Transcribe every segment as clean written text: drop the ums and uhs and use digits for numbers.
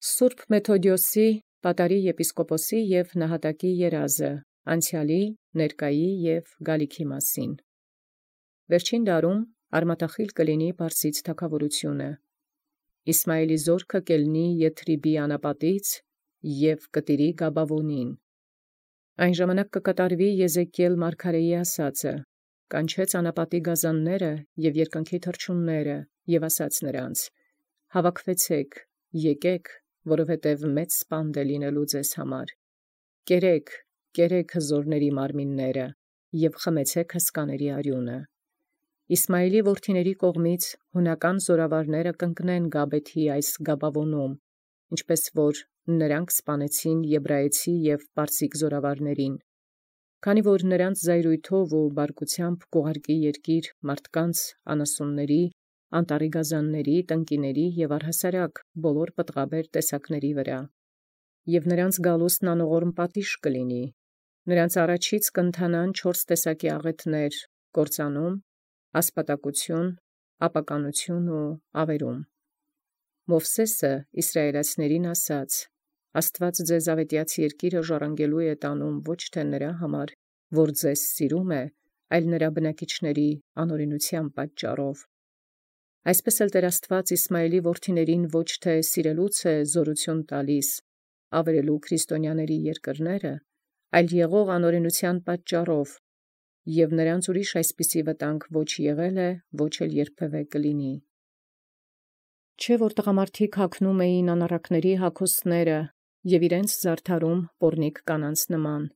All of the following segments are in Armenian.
Սուրբ Մեթոդիոսի պատարի եպիսկոպոսի և նահատակի երազը, անցյալի, ներկայի և գալիքի մասին։ Վերջին դարում արմատախիլ կլինի Պարսից թագավորությունը։ Իսմայելի զորքը կելնի Եթրիբի անապատից և կտիրի Գաբավոնին։ Այն ժամանակ կկատարվի Եզեկիել մարգարեի ասածը, կանչեց անապատի գազանները և երկնքի թռչունները և ասաց նրանց. «Հավաքվեցեք, եկեք, որովհետև մեծ սպանդ է լինելու ձեզ համար։ Կերեք, կերեք հզորների մարմինները և խմեցեք հսկաների արյունը»։ Իսմայելի որդիների կողմից հունական զորավարները կընկնեն Գաբեթի այս Գաբավոնում, ինչպես որ նրանք սպանեցին եբրայեցի և պարսիկ զորավարներին, քանի որ նրանց զայրույթով ու բարկությամբ կուղարկի երկիր մարդկանց, անասունների, անտառի գազանների, տնկիների և առհասարակ բոլոր պտղաբեր տեսակների վրա։ Եվ նրանց գալուստն անողորմ պատիժ կլինի։ Նրանց առաջից կընթանան 4 տեսակի աղեթներ՝ կործանում, ասպատակություն, ապականություն ու ավերում։ Մովսեսը իսրայելացիներին ասաց. «Աստված ձեզ ավետյաց երկիրը ժառանգելու է տանում ոչ թե նրա համար, որ ձեզ սիրում է, այլ նրա բնակիչների անօրենության պատճառով»։ Այսպես էլ Տեր Աստված Իսմայելի որդիներին ոչ թե սիրելուց է զորություն տալիս, ավերելու քրիստոնյաների երկրները, այլ եղող անօրենության պատճառով, և նրանց ուրիշ այսպիսի վտանգ ոչ եղել է, ոչ էլ երբևէ կլինի։ Չէ՞ որ տղամարդիկ հագնում էին անառակների հագուստները և իրենց զարդարում պոռնիկ կանանց նման,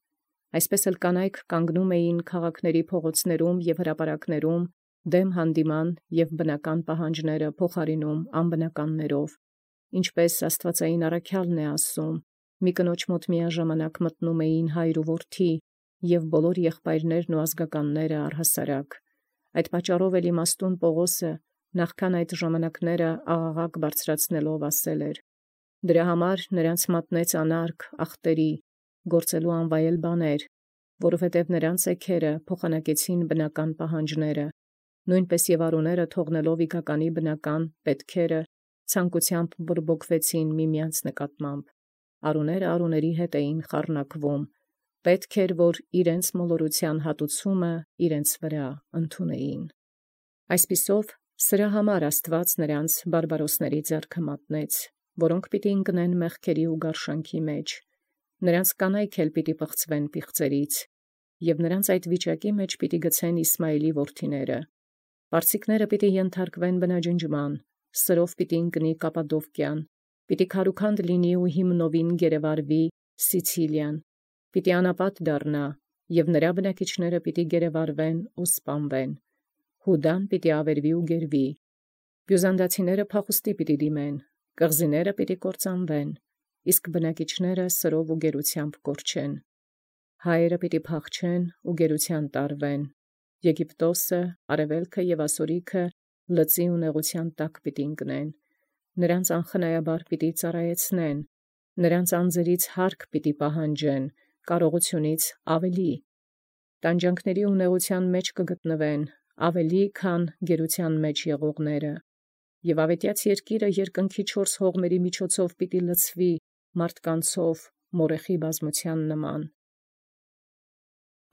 այսպես էլ կանայք կանգնում էին քաղաքների փողոցներում և հրապարակներում դեմ հանդիման և բնական պահանջները փոխարինում անբնականներով, ինչպես աստվածային առաքյալն է ասում. «Մի կնոջ մոտ միաժամանակ մտնում էին հայր ու որդի, և բոլոր եղբայրներն ու ազգականները առհասարակ»։ Այդ պատճառով էլ իմաստուն Պողոսը նախքան այդ ժամանակները աղաղակ բարձրացնելով ասել էր. «Դրա համար նրանց մատնեց անարգ ախտերի, գործելու անվայել բաներ, որովհետև նրանց էգերը փոխանակեցին բնական պահանջները, նույնպես և արուները թողնելով իգականի բնական պետքերը, ցանկությամբ բորբոքվեցին միմյանց նկատմամբ։ Արուները արուների հետ էին խառնակվում, պետք էր, որ իրենց մոլորության հատուցումը իրենց վրա ընդունեին»։ Այսպիսով, սրա համար Աստված նրանց բարբարոսների ձեռքը մատնեց, որոնք պիտի ընկնեն մեղքերի ու գարշանքի մեջ, նրանց կանայք էլ պիտի պղծվեն պիղծերից, և նրանց այդ վիճակի մեջ պիտի գցեն Իսմայելի որդիները։ Պարսիկները պիտի ենթարկվեն բնաջնջման, սրով պիտի ընկնի Կապադովկյան, պիտի քարուքանդ լինի ու հիմնովին գերեվարվի Սիցիլիան, պիտի անապատ դառնա, և նրա բնակիչները պիտի գերեվարվեն ու սպանվեն։ Հուդան պիտի ավերվի ու գերվի։ Բյուզանդացիները փախուստի պիտի դիմեն, կղզիները պիտի կործանվեն, իսկ բնակիչները սրով ու գերությամբ կորչեն։ Հայերը պիտի փախչեն ու գերության տարվեն։ Եգիպտոսը, Արևելքը և Ասորիքը լծի ու նեղության տակ պիտի ընկնեն։ Նրանց անխնայաբար պիտի ծառայեցնեն, նրանց անձերից հարկ պիտի պահանջեն, կարողությունից ավելի։ Տանջանքների ու նեղության մեջ կգտնվեն, ավելի, քան գերության մեջ եղողները։ Եվ ավետյաց երկիրը երկնքի 4 հողմերի միջոցով պիտի լցվի մարդկանցով մորեխի բազմության նման։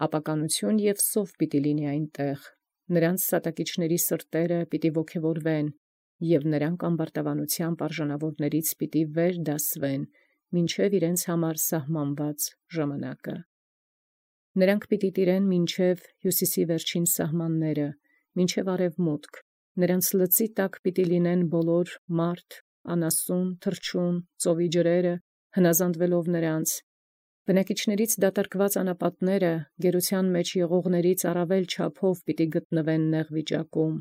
Ապականություն և սով պիտի լինի այնտեղ, նրանց սատակիչների սրտերը պիտի ոգևորվեն, և նրանք ամբարտավանությամբ արժանավորներից պիտի վեր դասվեն, մինչև իրենց համար սահմանված ժամանակը։ Նրանք պիտի տիրեն մինչև հյուսիսի վերջին սահմանները, մինչև արևմուտք, նրանց լծի տակ պիտի լինեն բոլոր մարդ, անասուն, թռչուն, ծովի ջրերը, հնազանդվելով նրանց։ Բնակիչներից դատարկված անապատները գերության մեջ եղողներից առավել չափով պիտի գտնվեն նեղ վիճակում,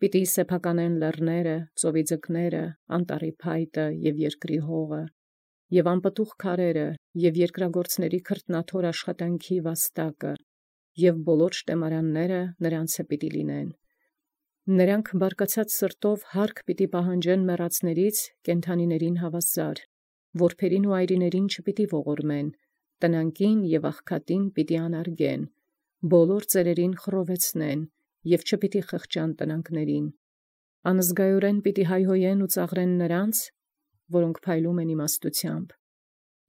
պիտի սեփականեն լեռները, ծովի ձկները, անտառի փայտը և երկրի հողը, և անպտուղ քարերը, և երկրագործների քրտնաթոր աշխատանքի վաստակը, և բոլոր շտեմարանները նրանցը պիտի լինեն։ Նրանք բարկացած սրտով հարկ պիտի պահանջեն մեռածներից կենդանիներին հավասար, որբերին ու այրիներին չպիտի ողորմեն, տնանկին և աղքատին պիտի անարգեն, բոլոր ծերերին խռովեցնեն և չպիտի խղճան տնանկներին։ Անզգայորեն պիտի հայհոյեն ու ծաղրեն նրանց, որոնք փայլում են իմաստությամբ,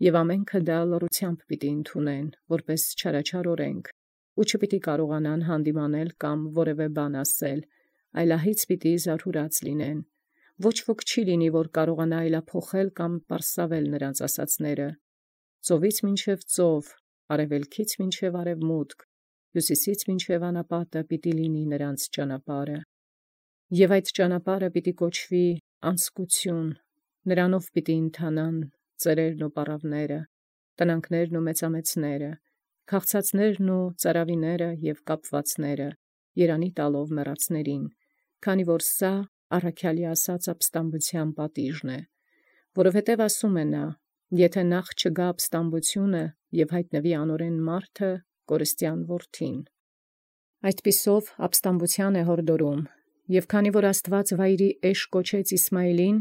եւ ամենքը դա լռությամբ պիտի ընդունեն, որպես չարաչար օրենք, ու չպիտի կարողանան հանդիմանել կամ որևէ բան ասել, այլահից պիտի զարհուրած լինեն։ Ոչ ոք չի լինի, որ կարողանա այլափոխել կամ պարսավել նրանց ասացները։ Ծովից մինչև ծով, արևելքից մինչև արևմուտք, հյուսիսից մինչև անապատը պիտի լինի նրանց ճանապարհը։ Եվ այդ ճանապարհը պիտի կոչվի անսկություն, նրանով պիտի ընթանան ծերերն ու պառավները, տնանքներն ու մեծամեծները, քաղցածներն ու ծարավիները և կապվածները, երանի տալով մեռածներին, քանի որ սա առաքյալի ասած ապստամբության պատիժն է, որովհետև ասում է նա. եթե նախ չգա ապստամբությունը և հայտնվի անօրեն մարդը, կորստյան որդին։ Այդպիսով ապստամբության է հորդորում, և քանի որ Աստված վայրի էշ կոչեց Իսմայիլին,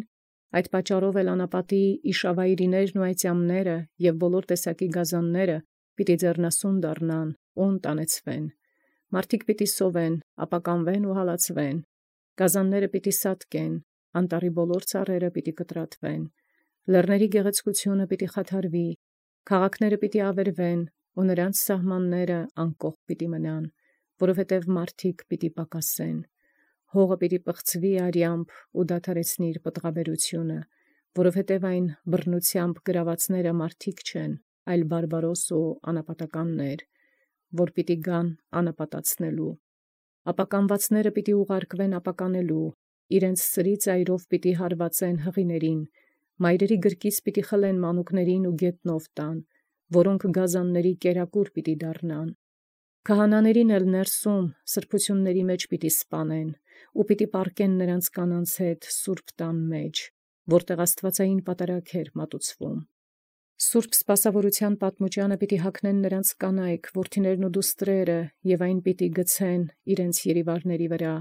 այդ պատճառով էլ անապատի իշավայրիներն ու այծյամները և բոլոր տեսակի գազանները պիտի ձեռնասուն դառնան ու ընտանեցվեն։ Մարդիկ պիտի սովեն, ապականվեն ու հալածվեն, գազանները պիտի սատկեն, անտառի բոլոր ծառերը պիտի կտրատվեն, լեռների գեղեցկությունը պիտի խաթարվի, քաղաքները պիտի ավերվեն, ու նրանց սահմանները անկողք պիտի մնան, որովհետև մարդիկ պիտի պակասեն։ Հողը պիտի պղծվի արյամբ ու դադարեցնի իր պտղաբերությունը, որովհետև այն բռնությամբ գրավածները մարդիկ չեն, այլ բարբարոս ու անապատականներ, որ պիտի գան անապատացնելու։ Ապականվածները պիտի ուղարկվեն ապականելու, իրենց սրի ծայրով պիտի հարվածեն հղիներին, մայրերի գրկից պիտի խլեն մանուկներին ու գետնով տան, որոնք գազանների կերակուր պիտի դառնան։ Քահանաներին էլ ներսում սրբությունների մեջ պիտի սպանեն, ու պիտի պառկեն նրանց կանանց հետ սուրբ տան մեջ, որտեղ աստվածային պատարագ էր մատուցվում։ Սուրբ սպասավորության պատմուճանը պիտի հագնեն նրանց կանայք, որդիներն ու դուստրերը, և այն պիտի գցեն իրենց երիվարների վրա,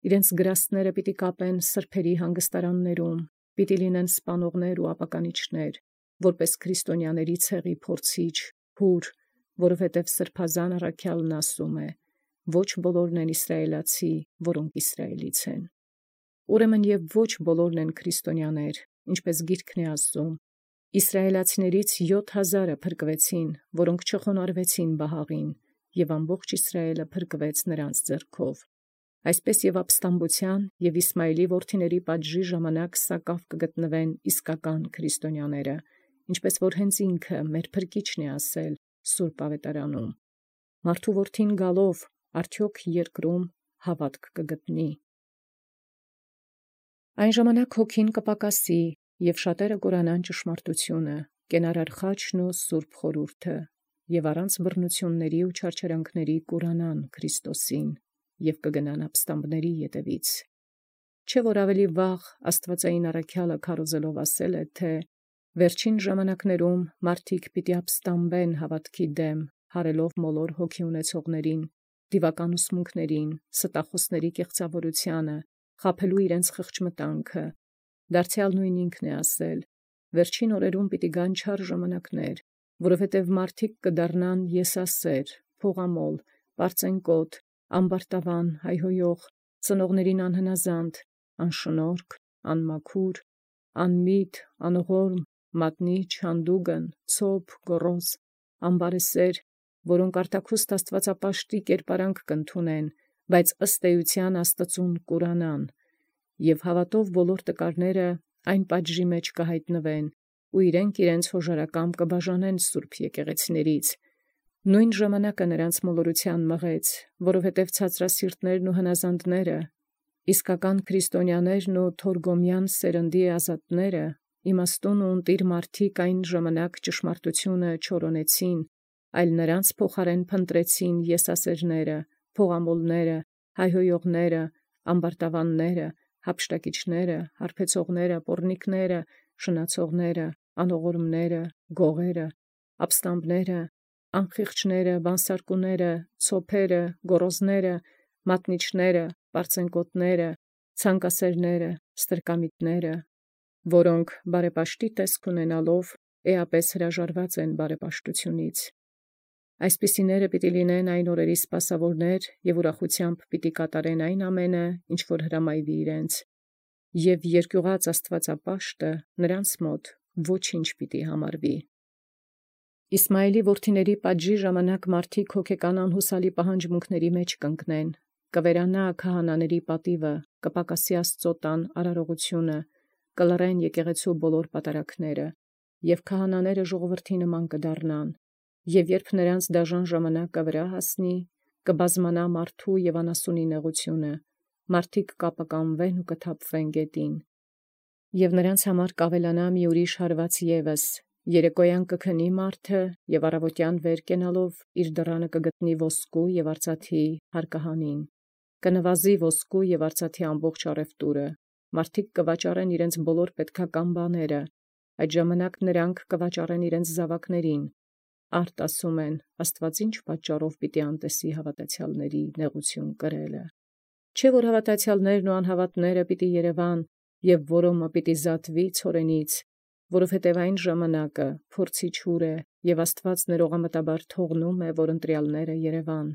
իրենց գրաստները պիտի կապեն սրբերի հանգստարաններում, պիտի լինեն սպանողներ ու ապականիչներ, որպես քրիստոնյաների ցեղի փորձիչ, հուր, որովհետև սրբազան առաքյալն ասում է. ոչ բոլորն են իսրայելացի, որոնք Իսրայելից են։ Ուրեմն և ոչ բոլորն են քրիստոնյաներ, ինչպես գիրքն է ասում. Իսրայելացիներից 7000-ը փրկվեցին, որոնք չխոնարհվեցին Բահաղին, և ամբողջ Իսրայելը փրկվեց նրանց ձեռքով։ Այսպես և ապստամբության և Իսմայելի որդիների պատժի ժամանակ սակավ կգտնվեն իսկական քրիստոնյաները, ինչպես որ հենց ինքը մեր փրկիչն է ասել Սուրբ Ավետարանում. մարդու որդին գալով արդյոք երկրում հավատք կգտնի։ Այն ժամանակ հոգին կպակասի, և շատերը կորանան ճշմարտությունը, կենարար խաչն ու սուրբ խորհուրդը, և առանց բռնությունների ու չարչարանքների կուրանան Քրիստոսին, և կգնան ապստամբների ետևից։ Չէ՞ որ ավելի վաղ աստվածային առաքյալը քարոզելով ասել է, թե վերջին ժամանակներում մարդիկ պիտի ապստամբեն հավատքի դեմ, հարելով մոլոր հոգի ունեցողներին, դիվական ուսմունքներին, ստախոսների կեղծավորությանը, խաբելու իրենց խղճմտանքը։ Դարձյալ նույն ինքն է ասել. վերջին օրերում պիտի գան չար ժամանակներ, որովհետև մարդիկ կդառնան եսասեր, փողամոլ, պարծենկոտ, ամբարտավան, հայհոյող, ծնողներին անհնազանդ, անշնորհք, անմաքուր, անմիտ, անողորմ, մատնիչ, հանդուգն, ցոփ, գոռոզ, ամբարեսեր, որոնք արտաքուստ աստվածապաշտի կերպարանք կընդունեն, բայց ըստ էության Աստծուն կուրանան, և հավատով բոլոր տկարները այն պատժի մեջ կհայտնվեն, ու իրենց հոժարակամ կբաժանեն սուրբ եկեղեցիներից։ Նույն ժամանակը նրանց մոլորության մղեց, որովհետև ցածրասիրտներն ու հնազանդները, իսկական քրիստոնյաներն ու թորգոմյան սերնդի ազատները, իմաստուն ու ընտիր մարդիկ այն ժամանակ ճշմարտությունը չորոնեցին, այլ նրանց փոխարեն փնտրեցին եսասերները, փողամոլները, հայհոյողները, ամբարտավանները, հափշտակիչները, հարբեցողները, պոռնիկները, շնացողները, անողորմները, գողերը, ապստամբները, անխիղճները, բանսարկուները, ցոփերը, գոռոզները, մատնիչները, պարծենկոտները, ցանկասերները, ստրկամիտները, որոնք բարեպաշտի տեսք ունենալով էապես հրաժարված են բարեպաշտությունից։ Այսպիսիները պիտի լինեն այն օրերի սպասավորներ և ուրախությամբ պիտի կատարեն այն ամենը, ինչ որ հրամայվի իրենց։ և երկյուղած աստվածապաշտը նրանց մոտ ոչինչ պիտի համարվի։ Իսմայիլի որդիների պատժի ժամանակ մարդիկ հոգեկան անհուսալի պահանջմունքների մեջ կընկնեն, կվերանա քահանաների պատիվը, կպակասի Աստծո տան արարողությունը, կլռեն եկեղեցու բոլոր պատարագները, և քահանաները ժողովրդի նման կդառնան, և երբ նրանց դաժան ժամանակը վրա հասնի, կբազմանա մարդու և անասունի նեղությունը, մարդիկ կապականվեն ու կթափվեն գետին, և նրանց համար կավելանա մի ուրիշ հարված ևս. երեկոյան կքնի մարդը և առավոտյան վեր կենալով իր դռանը կգտնի ոսկու և արծաթի հարկահանին, կնվազի ոսկու և արծաթի ամբողջ առևտուրը, մարդիկ կվաճառեն իրենց բոլոր պետքական բաները, այդ ժամանակ նրանք կվաճառեն իրենց զավակներին, արդ ասում են, Աստված ինչ պատճառով պիտի անտեսի հավատացյալների նեղություն կրելը, չէ՞ որ հավատացյալներն ու անհավատները պիտի երևան, և որոմը պիտի զատվի ցորենից, որովհետև այն ժամանակը փորձիչ ուր է, և Աստված ներողամտաբար թողնում է, որ ընտրյալները երևան։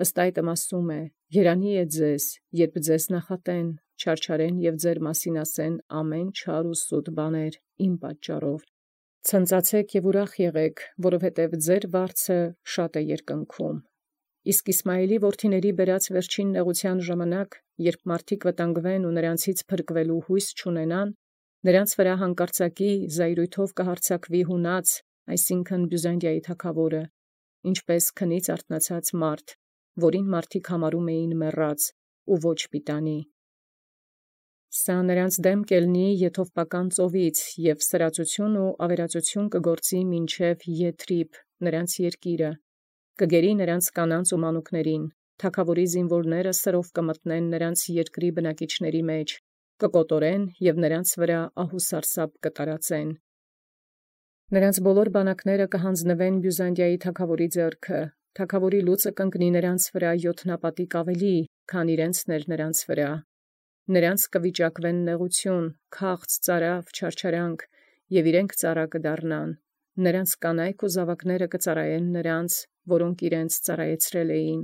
Ըստ այդմ ասում է. երանի է ձեզ, երբ ձեզ նախատեն, չարչարեն և ձեր մասին ասեն ամեն չար ու սուտ բաներ իմ պատճառով։ Ցնծացեք և ուրախ եղեք, որովհետև ձեր վարձը շատ է երկնքում։ Իսկ Իսմայիլի որդիների բերած վերջին նեղության ժամանակ, երբ մարդիկ վտանգվեն ու նրանցից փրկվելու հույս չունենան, նրանց վրա հանկարծակի զայրույթով կհարձակվի հունած, այսինքն Բյուզանդիայի թագավորը, ինչպես քնից արթնացած մարդ, որին մարդիկ համարում էին մեռած ու ոչ պիտանի։ Սա նրանց դեմ կելնի եթովպական ծովից և սրածություն ու ավերածություն կգործի մինչև Եթրիբ, նրանց երկիրը, կգերի նրանց կանանց ու մանուկներին, թագավորի զինվորները սրով կմտնեն նրանց երկրի բնակիչների մեջ, կկոտորեն և նրանց վրա ահուսարսափ կտարածեն։ Նրանց բոլոր բանակները կհանձնվեն Բյուզանդիայի թագավորի ձեռքը, թագավորի լուծը կընկնի նրանց վրա յոթնապատիկ ավելի, քան իրենցն էր նրանց վրա։ Նրանց կվիճակվեն նեղություն, քաղց, ծարավ, չարչարանք, և իրենք ծառա կդառնան, նրանց կանայք ու զավակները կծառայեն նրանց, որոնք իրենց ծառայեցրել էին,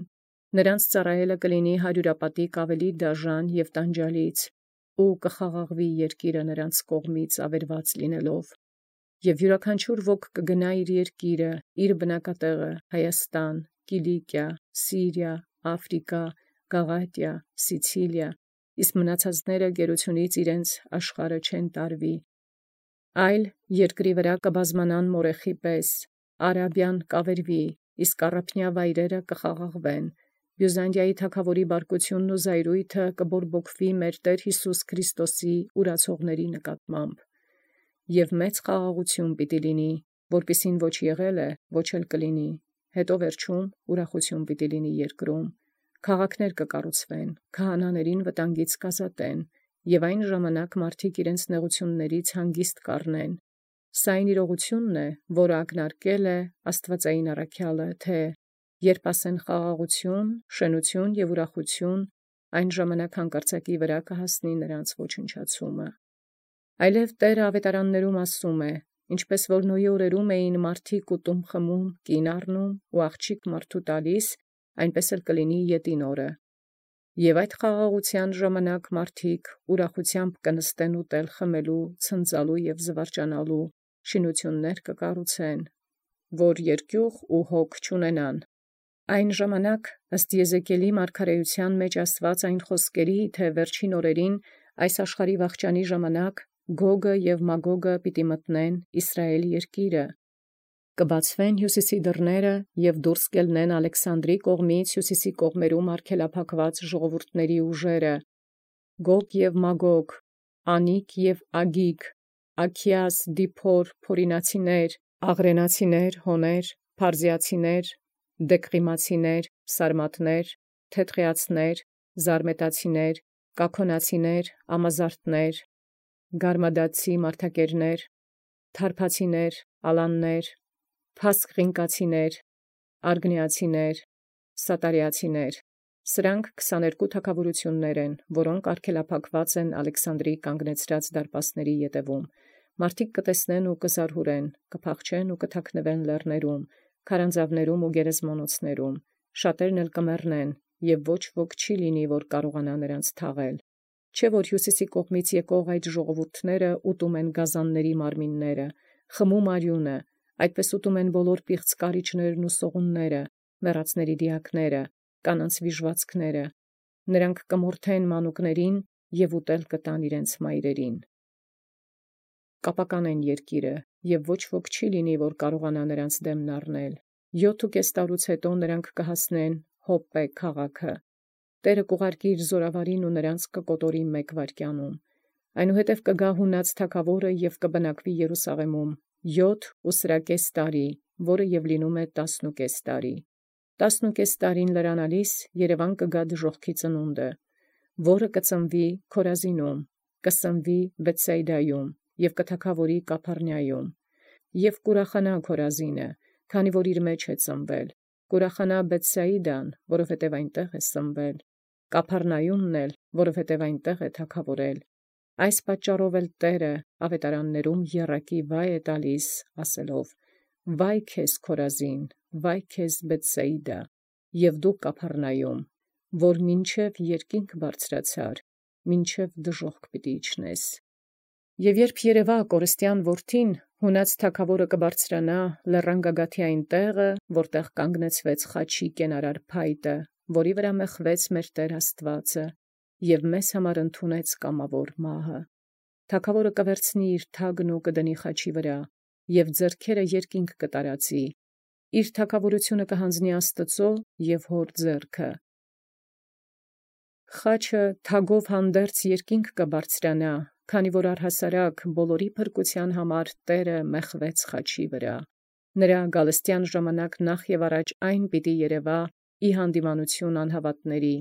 նրանց ծառայելը կլինի հարյուրապատիկ ավելի դաժան և տանջալից, ու կխաղաղվի երկիրը նրանց կողմից ավերված լինելով, և յուրաքանչյուր ոք կգնա իր երկիրը, իր բնակատեղը, Հայաստան, Կիլիկիա, Սիրիա, Աֆրիկա, Գաղատիա, Սիցիլիա, իսկ մնացածները գերությունից իրենց աշխարհը չեն տարվի, այլ երկրի վրա կբազմանան մորեխի պես, Արաբիան կավերվի, իսկ առափնյա վայրերը կխաղաղվեն, Բյուզանդիայի թագավորի բարկությունն ու զայրույթը կբորբոքվի մեր Տեր Հիսուս Քրիստոսի ուրացողների նկատմամբ, և մեծ խաղաղություն պիտի լինի, որպիսին ոչ եղել է, ոչ էլ կլինի, հետո վերջում ուրախություն պիտի լինի երկրում, քաղաքներ կկառուցվեն, քահանաներին վտանգից կազատեն, և այն ժամանակ մարդիկ իրենց նեղություններից հանգիստ կառնեն։ Սա այն իրողությունն է, որը ակնարկել է աստվածային առաքյալը, թե երբ ասեն խաղաղություն, շնություն և ուրախություն, այն ժամանակ հանկարծակի վրա կհասնի նրանց ոչնչացումը։ Այլև Տերը ավետարաններում ասում է. ինչպես որ Նոյի օրերում էին մարդիկ ուտում խմում, կին առնում ու աղջիկ մարդու տալիս, այնպես էլ կլինի ետին օրը։ Եվ այդ խաղաղության ժամանակ մարդիկ ուրախությամբ կնստեն ուտել խմելու, ցնծալու և զվարճանալու, շինություններ կկառուցեն, որ երկյուղ ու հոգ չունենան։ Այն ժամանակ, ըստ Եզեկիելի մարգարեության մեջ ասված այն խոսքերի, թե վերջին օրերին այս աշխարհի վախճանի ժամանակ Գոգը և Մագոգը պիտի մտնեն Իսրայել երկիրը, կբացվեն հյուսիսի դռները և դուրս կելնեն Ալեքսանդրի կողմից հյուսիսի կողմերում արգելափակված ժողովուրդների ուժերը, Գոգ և Մագոգ, Անիկ և Ագիգ, Աքիաս, Դիփոր, Փորինացիներ, Աղրենացիներ, Հոներ, Փարզիացիներ, Դեկղիմացիներ, Սարմատներ, Թեթղեացիներ, Զարմետացիներ, Կաքոնացիներ, Ամազարտներ, Գարմադացի մարդակերներ, Թարփացիներ, Ալաններ, Փասկղինկացիներ, Արգնիացիներ, Սատարիացիներ։ Սրանք 22 թագավորություններ են, որոնք արգելափակված են Ալեքսանդրի կանգնեցրած դարպասների ետևում։ Մարդիկ կտեսնեն ու կզարհուրեն, կփախչեն ու կթաքնվեն լեռներում, քարանձավներում ու գերեզմանոցներում, շատերն էլ կմեռնեն, և ոչ ոք չի լինի, որ կարողանա նրանց թաղել։ Չէ որ հյուսիսի կողմից եկող այդ ժողովուրդները ուտում են գազանների մարմինները, խմում արյունը, այդպես ուտում են բոլոր պիղծ կարիճներն ու սողունները, մեռածների դիակները, կանանց վիժվածքները, նրանք կմորթեն մանուկներին և ուտել կտան իրենց մայրերին։ Կապականեն երկիրը, և ոչ ոք չի լինի, որ կարողանա նրանց դեմն առնել։ 7.5 տարուց հետո նրանք կհասնեն Հոպպե քաղաքը։ Տերը կուղարկի իր զորավարին ու նրանց կկոտորի մեկ վայրկյանում։ Այնուհետև կգա հունած թագավորը և կբնակվի Երուսաղեմում 7.5 տարի, որը և լինում է 10.5 տարի։ 10.5 տարին լրանալիս Երևան կգա դժոխքի ծնունդը, որը կծնվի Քորազինում, կսնվի Բեթսայդայում և կթագավորի Կափառնայում։ Եվ կուրախանա Քորազինը, քանի որ իր մեջ է ծնվել, կուրախանա Բեթսայիդան, որովհետև այնտեղ է սնվել, Կափառնայումն էլ, որովհետև այնտեղ է թագավորել։ Այս պատճառով էլ Տերը ավետարաններում եռակի վայ է տալիս, ասելով. «Վայ քեզ Քորազին, վայ քեզ Բեթսայիդա, և դու Կափառնայում, որ մինչև երկինք բարձրացար, մինչև դժոխք պիտի իջնես»։ Եվ երբ երևա կորստյան որդին, հունած թագավորը կբարձրանա լեռան գագաթի տեղը, որտեղ կանգնեցվեց խաչի կենարար փայտը, որի վրա մեղվեց մեր Տեր Աստվածը, և մեզ համար ընդունեց կամավոր մահը։ Թագավորը կվերցնի իր թագն ու կդնի խաչի վրա, և ձեռքերը երկինք կտարածի, իր թագավորությունը կհանձնի Աստծո և հոր ձեռքը։ Խաչը թագով հանդերձ երկինք կբարձրանա, քանի որ առհասարակ բոլորի փրկության համար Տերը մեղվեց խաչի վրա։ Նրա գալստյան ժամանակ նախ և առաջ այն պիտի երևա ի հանդիմանություն անհավատների,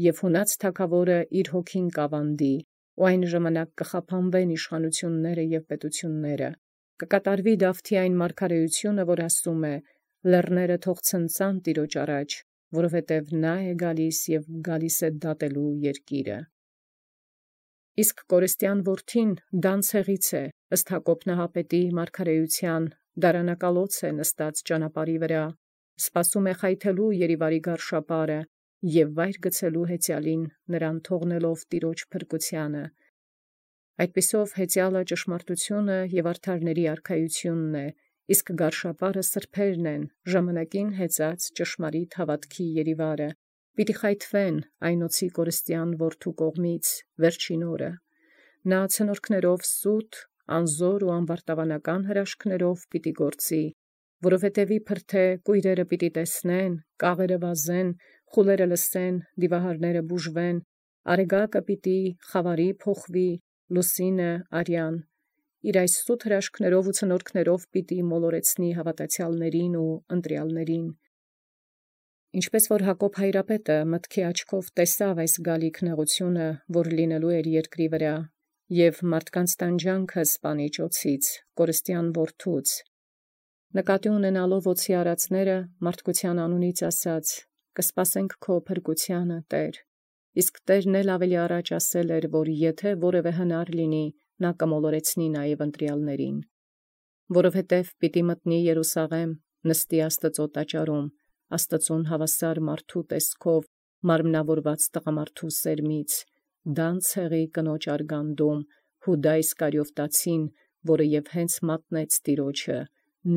և հունած թագավորը իր հոգին կավանդի, ու այն ժամանակ կխափանվեն իշխանությունները և պետությունները, կկատարվի Դավթի այն մարգարեությունը, որ ասում է. «Լեռները թող ցնծան Տիրոջ առաջ, որովհետև նա է գալիս և գալիս է դատելու երկիրը»։ Իսկ կորստյան որդին Դան ցեղից է, ըստ Հակոբ նահապետի մարգարեության, դարանակալոց է նստած ճանապարհի վրա, սպասում է խայթելու Երիվարի գարշապարը և վայր գցելու հեծյալին նրան թողնելով Տիրոջ փրկությանը։ Այդպիսով հեծյալը ճշմարտությունը և արդարների արքայությունն է, իսկ գարշապարը սրբերն են, ժամանակին հեծած ճշմարիտ հավատքի Երիվարը, պիտի խայթվեն այն օձի կորստյան որդու կողմից վերջին օրը։ Նա ցնորքներով սուտ, անզոր ու ամբարտավանական հրաշքներով պիտի գործի, որովհետև իբր թե կույրերը պիտի տեսնեն, կաղերը վազեն, խուլերը լսեն, դիվահարները բուժվեն, արեգակը պիտի խավարի փոխվի, լուսինը արյան, իր այս սուտ հրաշքներով ու ցնորքներով պիտի մոլորեցնի հավատացյալներին ու ընտրյալներին։ Ինչպես որ Հակոբ հայրապետը մտքի աչքով տեսավ այս գալիք նեղությունը, որ լինելու էր երկրի վրա, և մարդկանց տանջանքը սպանիչ օձից, կորստյան որդուց, նկատի ունենալով օձի արածները, մարդկության անունից ասաց. «Կսպասենք քո փրկությանը, Տեր»։ Իսկ Տերն էլ ավելի առաջ ասել էր, որ եթե որևէ հնար լինի, նա կմոլորեցնի նաև ընտրյալներին։ Որովհետև պիտի մտնի Երուսաղեմ, նստի Աստծո տաճարում, Աստծուն հավասար մարդու տեսքով, մարմնավորված տղամարդու սերմից, Դան ցեղի կնոջ արգանդում, Հուդա Իսկարիովտացին, որը և հենց մատնեց Տիրոջը,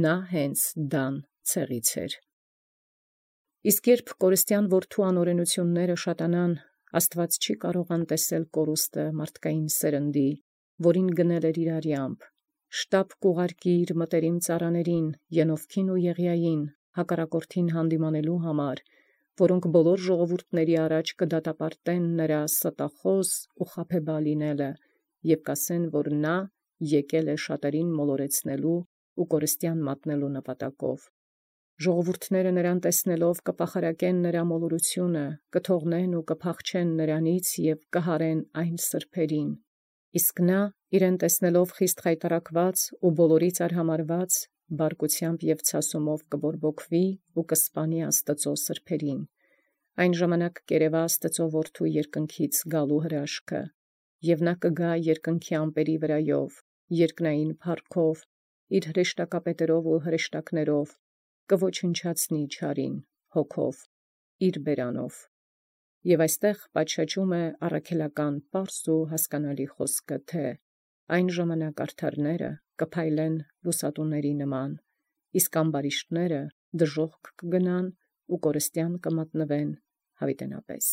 նա հենց Դան ցեղից էր։ Իսկ երբ կորստյան որդու անօրենությունները շատանան, Աստված չի կարող անտեսել կորուստը մարդկային սերնդի, որին գնել էր իր արյամբ, շտապ կուղարկի իր մտերիմ ծառաներին, Ենովքին ու Եղիային, հակառակորդին հանդիմանելու համար, որոնք բոլոր ժողովուրդների առաջ կդատապարտեն նրա ստախոս ու խաբեբա լինելը, և կասեն, որ նա եկել է շատերին մոլորեցնելու ու կորստյան մատնելու նպատակով։ Ժողովուրդները նրան տեսնելով կպախարակեն նրա մոլորությունը, կթողնեն ու կփախչեն նրանից և կհարեն այն սրբերին։ Իսկ նա, իրեն տեսնելով խիստ խայտառակված ու բոլորից արհամարհված, բարկությամբ և ցասումով կբորբոքվի ու կսպանի Աստծո սրբերին։ Այն ժամանակ կերևա Աստծո որդու երկնքից գալու հրաշքը, և նա կգա երկնքի ամպերի վրայով, երկնային փառքով, իր հրեշտակապետերով ու հրեշտակներով, կոչնչացնի չարին, հոգով, իր բերանով։ Եւ այստեղ պատշաճում է առաքելական պարզ ու հասկանալի խոսքը, թե այն ժամանակ արդարները կփայլեն լուսատուների նման, իսկ ամբարիշտները դժոխք կգնան ու կորստյան կմատնվեն յաւիտենապէս։